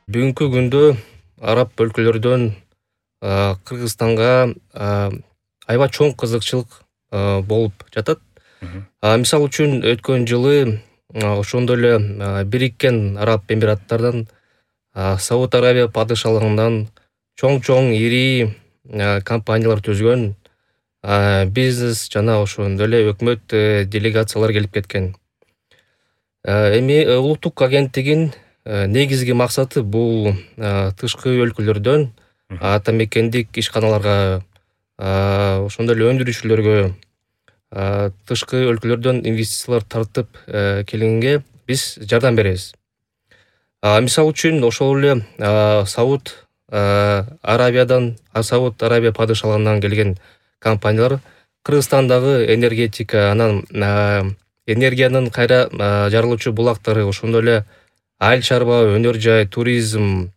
Бүгүнкү күндө араб өлкөлөрдөн Кыргызстанга аябай чоң кызыкчылык болуп жатат. Мисалы үчүн өткөн жылы ошондой эле Бириккен Араб Эмираттарынан Сауд Арабия падышалыгынан чоң ири компаниялар түзгөн бизнес жана ошондой эле өкмөт делегациялар келип кеткен. Эми улуттук агенттигин негизги максаты бул тышкы өлкөлөрдөн атамекендик ишканаларга ошондой эле өндүрүүчүлөргө тышкы өлкөлөрдөн инвестициялар тартып келгенге биз жардам беребиз. Мисалы үчүн ошол эле Сауд Арабия падышалыгынан келген компаниялар Кыргызстандагы энергетика, анан энергиянын кайра жарылуучу булактары, ошондой эле айыл чарба, өнөр жай, туризм,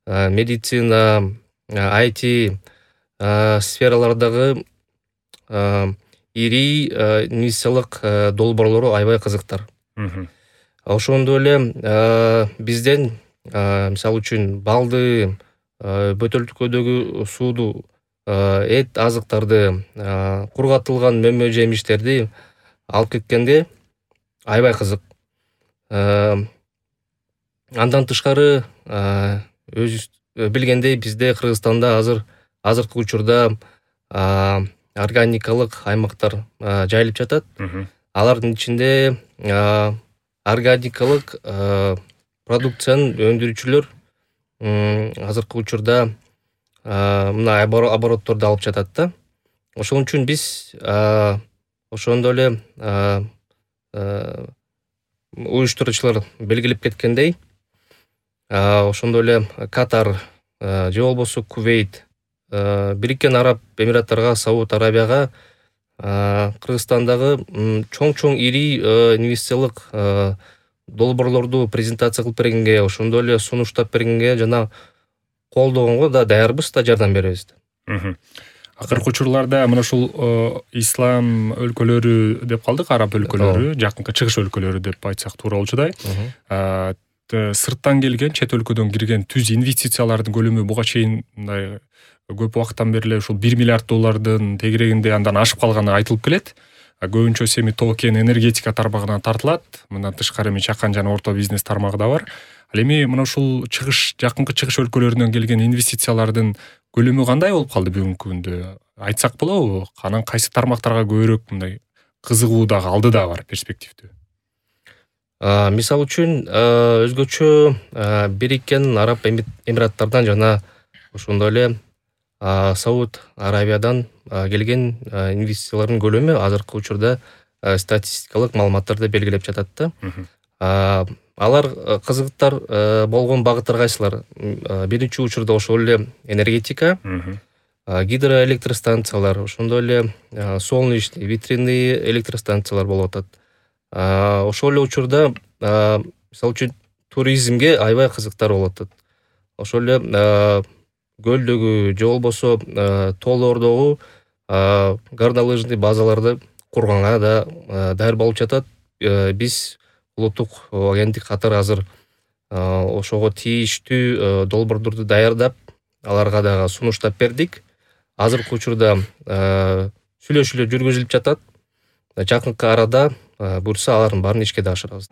медицина, IT сфералардагы ири инвестициялык долбоорлору аябай кызыктар. Ошондой эле бизден мисалы үчүн балды, бөтөлкөдөгү сууду, эт азыктарды, кургатылган мөмө жемиштерди алып кеткенде аябай кызык. Андан тышкары өзүбүз билгендей бизде Кыргызстанда азыркы учурда органикалык аймактар жайылып жатат. Алардын ичинде органикалык продукциянын өндүрүүчүлөр азыркы учурда мына оборотторду алып жатат да. Ошон үчүн биз ошондой эле уюштуруучулар белгилеп кеткендей, ошондой эле Катар же болбосо Кувейт, Бириккен Араб Эмираттарга, Сауд Арабияга Кыргызстандагы чоң ири инвестициялык долбоорлорду презентация кылып бергенге, ошондой эле сунуштап бергенге жана колдогонго да даярбыз да, жардам беребиз. Акыркы учурларда мына ушул ислам өлкөлөрү деп калдык, араб өлкөлөрү, жакынкы чыгыш өлкөлөрү деп айтсак туура болчудай. Сырттан келген, чет өлкөдөн кирген түз инвестициялардын көлөмү буга чейин мындай көп убакыттан бери эле ушул $1 миллиард тегерегинде андан ашып калганы айтылып келет. Көбүнчөсү эми токен энергетика тармагына тартылат. Мындан тышкары эми чакан жана орто бизнес тармагы да бар. Ал эми мына ушул жакынкы чыгыш өлкөлөрүнөн келген инвестициялардын көлөмү кандай болуп калды бүгүнкү күндө? Айтсак болобу? Анан кайсы тармактарга көбүрөөк мындай кызыгуу дагы, алды да бар, перспективдүү? Мисалы үчүн өзгөчө Бириккен Араб Эмираттардан жана ошондой эле Сауд Арабиядан келген инвестициялардын көлөмү азыркы учурда статистикалык маалыматтарда белгилеп жатат да. Алар кызыктар болгон багыттар кайсылар? Биринчи учурда ошол эле энергетика, гидроэлектростанциялар, ошондой эле солнечный, ветряный электростанциялар болуп атат. Ошол эле учурда мисалы үчүн туризмге аябай кызыктар болуп атат. Ошол эле көлдөгү же болбосо тоолордогу горнолыжный базаларды курганга да даяр болуп жатат. Биз улуттук агенттик катары азыр ошого тийиштүү долбоорлорду даярдап, аларга дагы сунуштап бердик. Азыркы учурда сүйлөшүүлөр жүргүзүлүп жатат. Жакынкы арада буюрса алардын баарын ишке да ашырабыз.